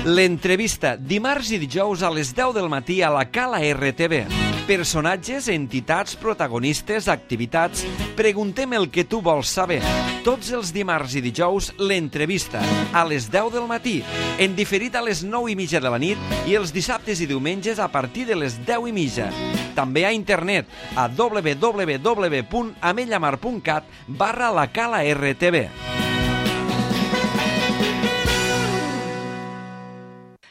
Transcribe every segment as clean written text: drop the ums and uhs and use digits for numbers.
L'entrevista, dimarts i dijous a les 10 del matí a la Cala RTV. Personatges, entitats, protagonistes, activitats... Preguntem el que tu vols saber. Tots els dimarts i dijous, l'entrevista, a les 10 del matí, en diferit a les 9:30 de la nit i els dissabtes i diumenges a partir de les 10:30. També a internet a www.amellamar.cat/la Cala RTV.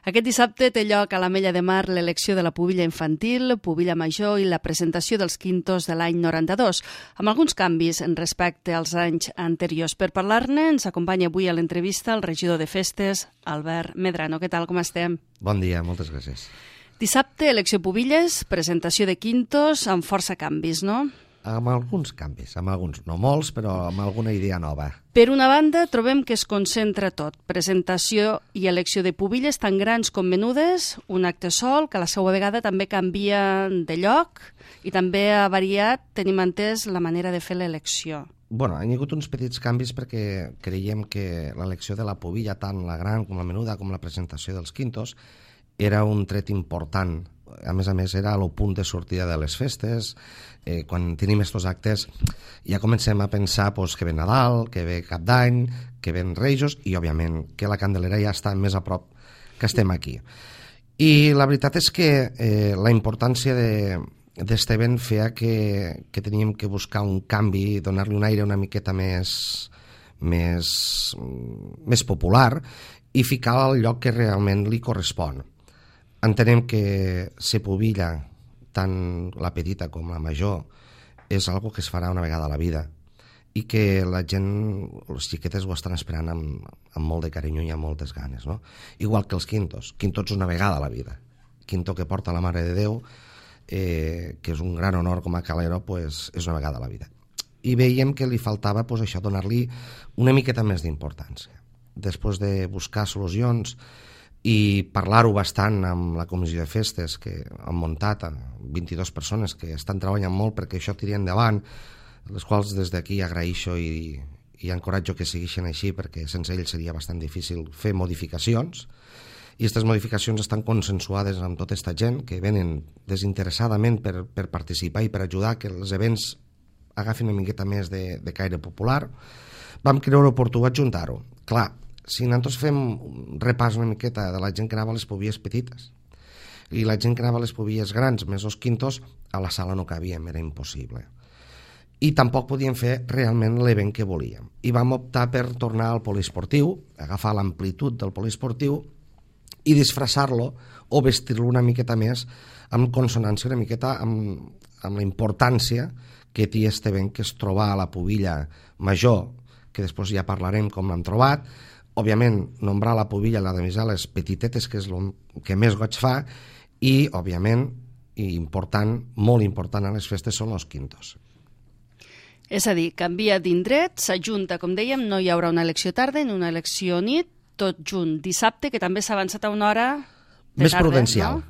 Aquest dissabte té lloc a l'Ametlla de Mar l'elecció de la pubilla infantil, pubilla major i la presentació dels quintos de l'any 92, amb alguns canvis respecte als anys anteriors. Per parlar-ne ens acompanya avui a l'entrevista el regidor de Festes, Albert Medrano. Què tal, com estem? Bon dia, moltes gràcies. Dissabte, elecció pubilles, presentació de quintos, amb força canvis, no? Amb alguns canvis, amb alguns, no molts, però amb alguna idea nova. Per una banda, trobem que es concentra tot. Presentació i elecció de pubilles tan grans com menudes, un acte sol, que a la seva vegada també canvia de lloc i també ha variat, tenim entès, la manera de fer l'elecció. Bueno, han hagut uns petits canvis perquè creiem que l'elecció de la pubilla, tant la gran com la menuda, com la presentació dels quintos, era un tret important. A més, era el punt de sortida de les festes. Quan tenim aquests actes ja comencem a pensar que ve Nadal, que ve Cap d'Any, que ven Reixos i, òbviament, que la Candelera ja està més a prop que estem aquí. I la veritat és que la importància d'este event feia que teníem que buscar un canvi, donar-li un aire una miqueta més popular i ficar al lloc que realment li correspon. Entenem que ser pubilla, tant la petita com la major, és algo que es farà una vegada a la vida i que la gent, les xiquetes ho estan esperant amb molt de carinyo i amb moltes ganes, no? Igual que els quintos. Quintos una vegada a la vida. Quinto que porta la Mare de Déu, que és un gran honor com a calero, és una vegada a la vida. I veiem que li faltava això, donar-li una miqueta més d'importància. Després de buscar solucions i parlar-ho bastant amb la comissió de festes que han muntat, 22 persones que estan treballant molt perquè això tiri endavant, les quals des d'aquí agraeixo i encoratjo que segueixin així perquè sense ells seria bastant difícil fer modificacions, i aquestes modificacions estan consensuades amb tota aquesta gent que venen desinteressadament per participar i per ajudar que els events agafin una miqueta més de caire popular. Vam creure oportú adjuntar-ho. Clar, si nosaltres fem un repàs una miqueta de la gent que anava a les pubilles petites i la gent que anava a les pubilles grans més els quintos, a la sala no cabíem, era impossible. I tampoc podíem fer realment l'event que volíem. I vam optar per tornar al poliesportiu, agafar l'amplitud del poliesportiu i disfressar-lo o vestir-lo una miqueta més amb consonància una miqueta amb la importància que té aquest event, que és trobar a la pubilla major, que després ja parlarem com l'hem trobat. Òbviament, nombrar la pubilla, la de les petitetes, que és el que més goig fa, i, òbviament, molt important a les festes són els quintos. És a dir, canvia d'indret, s'ajunta, com dèiem, no hi haurà una elecció tarda ni una elecció nit, tot junt dissabte, que també s'ha avançat a una hora de més tarda, prudencial, no?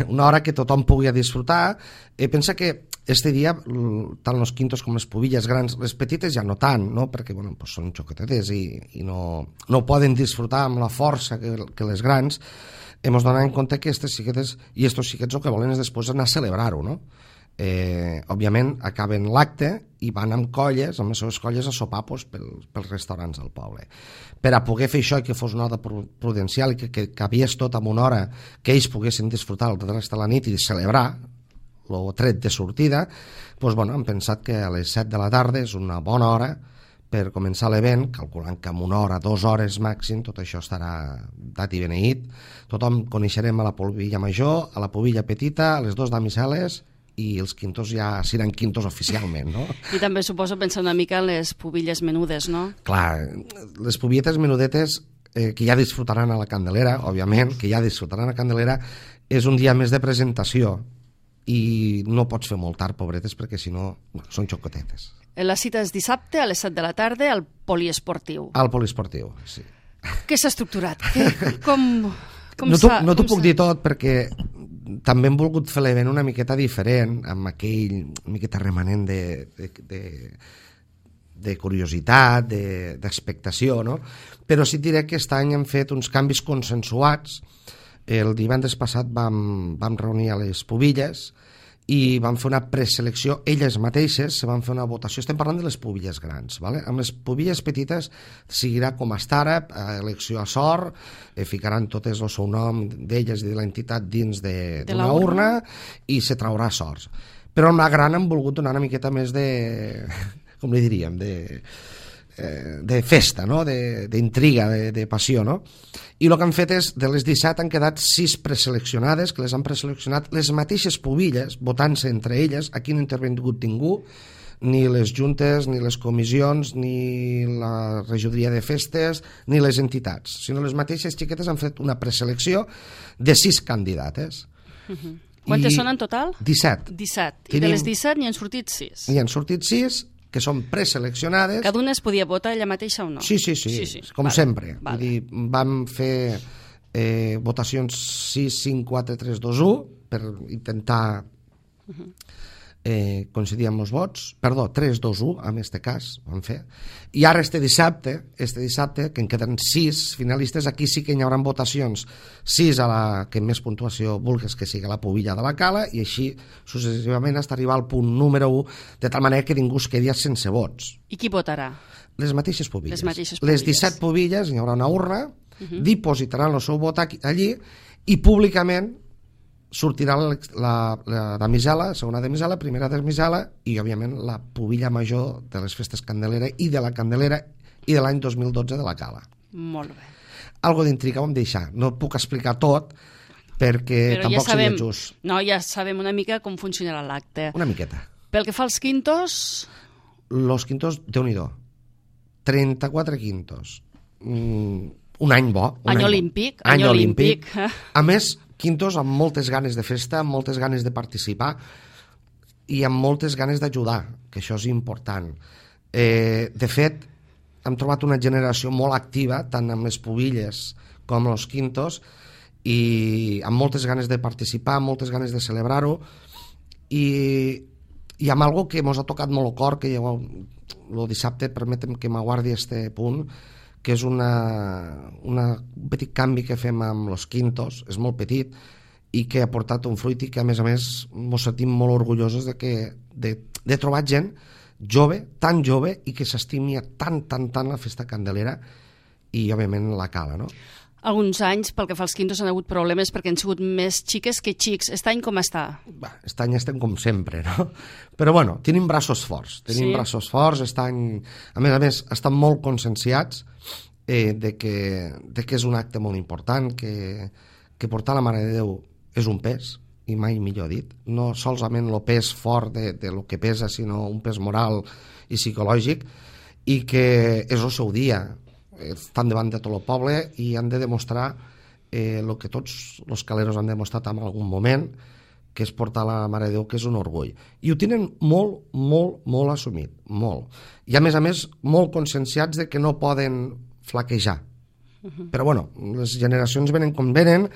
Una hora que tothom pugui disfrutar. Pensa que este dia, tant els quintos com les pubilles grans, les petites ja no tant, no? Perquè són xocotetes i no poden disfrutar amb la força que les grans. Hem donat en compte que aquestes xiquetes i estos xiquets el que volen és després anar a celebrar-ho, no? Òbviament acaben l'acte i van amb colles, amb les seves colles, a sopar pels restaurants del poble. Per a poder fer això i que fos una hora prudencial i que cabies tot en una hora que ells poguessin disfrutar el rest de la nit i celebrar el tret de sortida, hem pensat que a les 7 de la tarda és una bona hora per començar l'event, calculant que en una hora, 2 hores màxim, tot això estarà dat i beneït. Tothom coneixerem a la pubilla major, a la pubilla petita, a les 2 damisel·les, i els quintos ja seran quintos oficialment, no? I també suposo pensar una mica en les pubilles menudes, no? Clar, les pubilletes menudetes que ja disfrutaran a la Candelera, òbviament, que ja disfrutaran a la Candelera, és un dia més de presentació i no pots fer molt tard, pobretes, perquè si no són xocotetes. La cita és dissabte a les 7 de la tarda al poliesportiu. Al poliesportiu, sí. Què s'ha estructurat? Com no t'ho puc dir tot perquè també hem volgut fer l'event una miqueta diferent, amb aquell miqueta remanent de curiositat, d'expectació, no? Però sí diré que aquest any hem fet uns canvis consensuats. El divendres passat vam reunir a les Pubilles i vam fer una preselecció, elles mateixes se van fer una votació. Estem parlant de les Pubilles grans, ¿vale? Amb les Pubilles petites seguirà com està ara, elecció a sort, ficaran totes el seu nom d'elles i de l'entitat dins d'una urna i se traurà sorts. Però amb la gran han volgut donar una miqueta més de, com li diríem, de festa, no? D'intriga, de passió, no? I el que han fet és, de les 17 han quedat 6 preseleccionades, que les han preseleccionat les mateixes Pubilles, votant-se entre elles. Aquí no ha intervingut ningú, ni les juntes, ni les comissions, ni la regidoria de festes, ni les entitats, sinó les mateixes xiquetes han fet una preselecció de 6 candidates. Quantes són en total? 17. 17. I de les 17 n'hi han sortit 6. N'hi han sortit 6, que són preseleccionades. Cada una es podia votar ella mateixa o no? Sí, com sempre. Vull dir, vam fer votacions 6, 5, 4, 3, 2, 1 per intentar coincidir amb els vots. Perdó, 3, 2, 1 en aquest cas vam fer. I ara este dissabte, que en queden 6 finalistes, aquí sí que hi haurà votacions 6 a la que més puntuació vulguis que sigui la Pubilla de la Cala, i així successivament fins a arribar al punt número 1, de tal manera que ningú es quedi sense vots. I qui votarà? Les mateixes Pubilles. Les 17 Pubilles, hi haurà una urna, dipositaran el seu vot allí i públicament sortirà la damisela, segona damisela, primera damisela i, òbviament, la Pubilla major de les festes Candelera i de la Candelera i de l'any 2012 de la Cala. Molt bé. Algo d'intriga vam deixar. No puc explicar tot perquè però tampoc ja seria just. No, ja sabem una mica com funcionarà l'acte. Una miqueta. Pel que fa als quintos... Los quintos, Déu-n'hi-do. 34 quintos. Un any bo. Any olímpic. Any olímpic. A més, quintos amb moltes ganes de festa, amb moltes ganes de participar i amb moltes ganes d'ajudar, que això és important. De fet, hem trobat una generació molt activa, tant amb les Pubilles com amb els quintos, i amb moltes ganes de participar, amb moltes ganes de celebrar-ho, i amb algo que ens ha tocat molt el cor, que el dissabte, permetem que m'aguardi este punt, que és un petit canvi que fem amb els quintos, és molt petit, i que ha portat un fruit i que, a més, ens sentim molt orgullosos de trobar gent jove, tan jove, i que s'estimi tant la festa Candelera i, òbviament, la Cala, no? Alguns anys, pel que fa als quintos, han hagut problemes perquè han sigut més xiques que xics. Aquest any com està? Aquest any estem com sempre, no? Però, bueno, tenim braços forts. Braços forts. Aquest any, a més, estan molt conscienciats de que és un acte molt important, que portar la Mare de Déu és un pes, i mai millor dit. No solament el pes fort de lo que pesa, sinó un pes moral i psicològic, i que és el seu dia. Estan davant de tot el poble i han de demostrar el que tots els caleros han demostrat en algun moment, que és portar la Mare de Déu, que és un orgull. I ho tenen molt assumit, molt. I, a més, molt conscienciats de que no poden flaquejar. Però, bueno, les generacions venen com venen.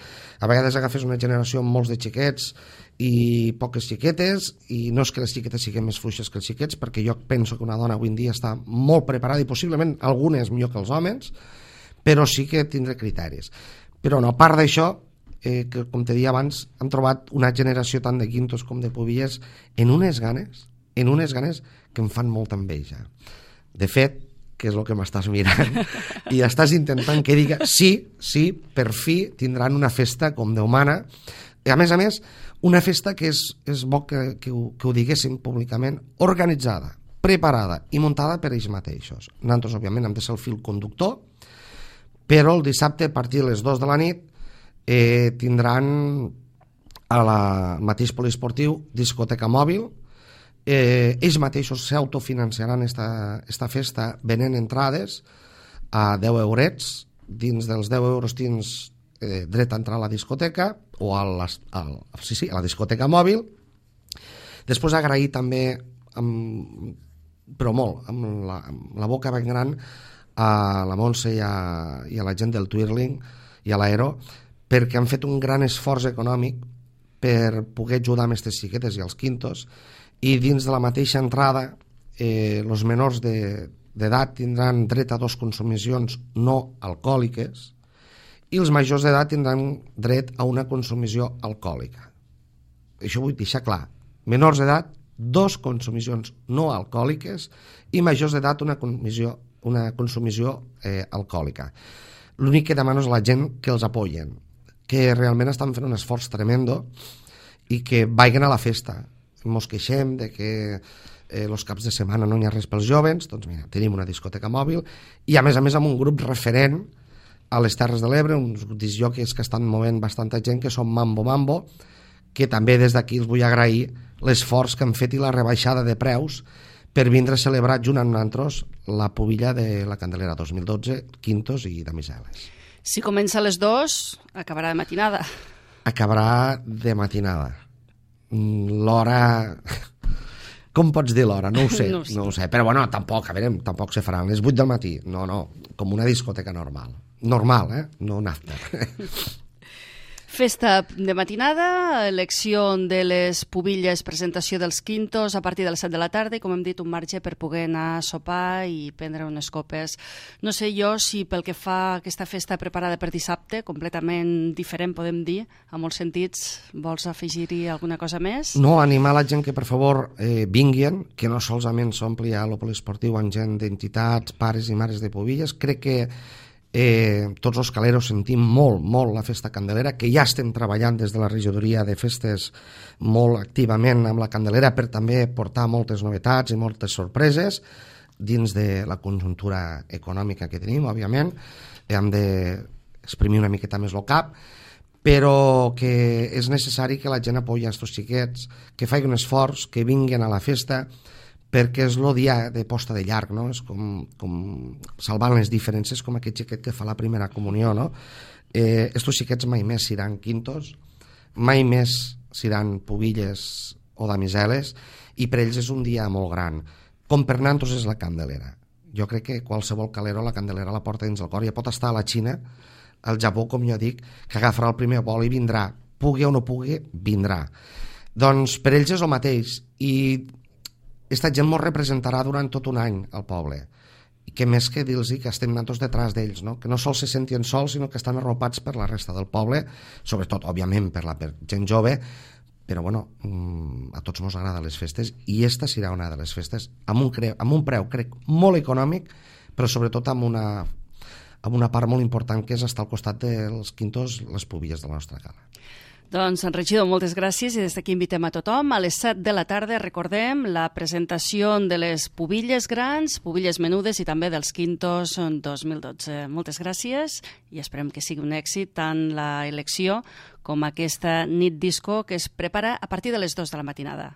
A vegades agafes una generació amb molts de xiquets i poques xiquetes, i no és que les xiquetes siguin més fluixes que els xiquets, perquè jo penso que una dona avui en dia està molt preparada, i possiblement algunes millor que els homes, però sí que tindrà criteris. Però no, a part d'això, que com te deia abans, hem trobat una generació tant de quintos com de Pubilles en unes ganes que em fan molta enveja. De fet, que és el que m'estàs mirant, i estàs intentant que diga sí, per fi tindran una festa com Déu mana. I, a més, una festa que és bo que ho diguéssim públicament, organitzada, preparada i muntada per ells mateixos. Nosaltres, òbviament, hem de ser el fil conductor, però el dissabte, a partir de les 2 de la nit, tindran al mateix poliesportiu discoteca mòbil. Ells mateixos s'autofinanciaran esta festa venent entrades a 10 eurets. Dins dels 10 euros tens dret a entrar a la discoteca o a la discoteca mòbil. Després agrair també, però molt, amb la boca ben gran, a la Montse i a la gent del Twirling i a l'Aero, perquè han fet un gran esforç econòmic per poder ajudar amb aquestes xiquetes i els quintos, i dins de la mateixa entrada els menors d'edat tindran dret a 2 consumicions no alcohòliques i els majors d'edat tindran dret a una consumició alcohòlica. Això vull deixar clar. Menors d'edat, 2 consumicions no alcohòliques i majors d'edat una consumició alcohòlica. L'únic que demano és a la gent que els apoyen, que realment estan fent un esforç tremendo i que vagin a la festa. Mos queixem de que els caps de setmana no hi ha res pels jovens, doncs mira, tenim una discoteca mòbil i a més amb un grup referent a les Terres de l'Ebre, uns discjòqueis que estan movent bastanta gent, que són Mambo, que també des d'aquí els vull agrair l'esforç que han fet i la rebaixada de preus per vindre a celebrar junt amb nosaltres la pubilla de la Candelera 2012, quintos i damiseles. Si comença a les 2, acabarà de matinada. Acabarà de matinada. L'hora... Com pots dir l'hora? No ho sé, no ho sé. Però bueno, tampoc se faran les 8 del matí. No, com una discoteca normal. Normal, no un after. Festa de matinada, elecció de les pubilles, presentació dels quintos a partir de les 7 de la tarda i, com hem dit, un marge per poder anar a sopar i prendre unes copes. No sé jo si pel que fa a aquesta festa preparada per dissabte, completament diferent, podem dir, en molts sentits, vols afegir-hi alguna cosa més? No, animar la gent que, per favor, vinguin, que no solament s'ompli a l'Opoliesportiu amb gent d'entitats, pares i mares de pubilles. Crec que tots els caleros sentim molt la festa candelera, que ja estem treballant des de la regidoria de festes molt activament amb la candelera per també portar moltes novetats i moltes sorpreses dins de la conjuntura econòmica que tenim, òbviament. Hem d'exprimir una miqueta més el cap, però que és necessari que la gent apoyi aquests xiquets, que facin un esforç, que vinguin a la festa, perquè és el dia de posta de llarg, no? És com salvant les diferències, com aquest xiquet que fa la primera comunió, no? Estos xiquets mai més seran quintos, mai més seran pubilles o damiseles, i per ells és un dia molt gran. Com per nosaltres és la Candelera. Jo crec que qualsevol calero la Candelera la porta dins el cor. Ja pot estar a la Xina, al Japó, com jo dic, que agafarà el primer vol i vindrà. Pugui o no pugui, vindrà. Doncs per ells és el mateix, i aquesta gent ens representarà durant tot un any al poble, i que més que dir-los que estem nosaltres detrás d'ells, no? Que no sols se sentien sols, sinó que estan arropats per la resta del poble, sobretot, òbviament, per gent jove, però bueno, a tots ens agraden les festes, i esta serà una de les festes amb un preu, crec, molt econòmic, però sobretot amb una part molt important, que és estar al costat dels quintos, les pubilles de la nostra cala. Doncs, regidor, moltes gràcies, i des d'aquí invitem a tothom. A les 7 de la tarda, recordem, la presentació de les pubilles grans, pubilles menudes i també dels quintos 2012. Moltes gràcies i esperem que sigui un èxit tant la elecció com aquesta nit disco que es prepara a partir de les 2 de la matinada.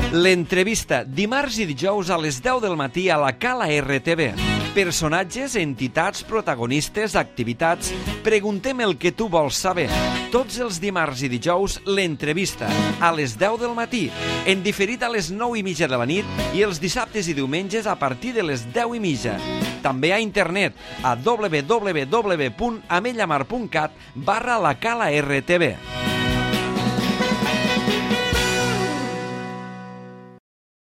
L'entrevista, dimarts i dijous a les 10 del matí a la Cala RTV. Personatges, entitats, protagonistes, activitats... Preguntem el que tu vols saber. Tots els dimarts i dijous, l'entrevista, a les 10 del matí, en diferit a les 9:30 de la nit i els dissabtes i diumenges a partir de les 10:30. També a internet a www.amellamar.cat/la Cala RTV.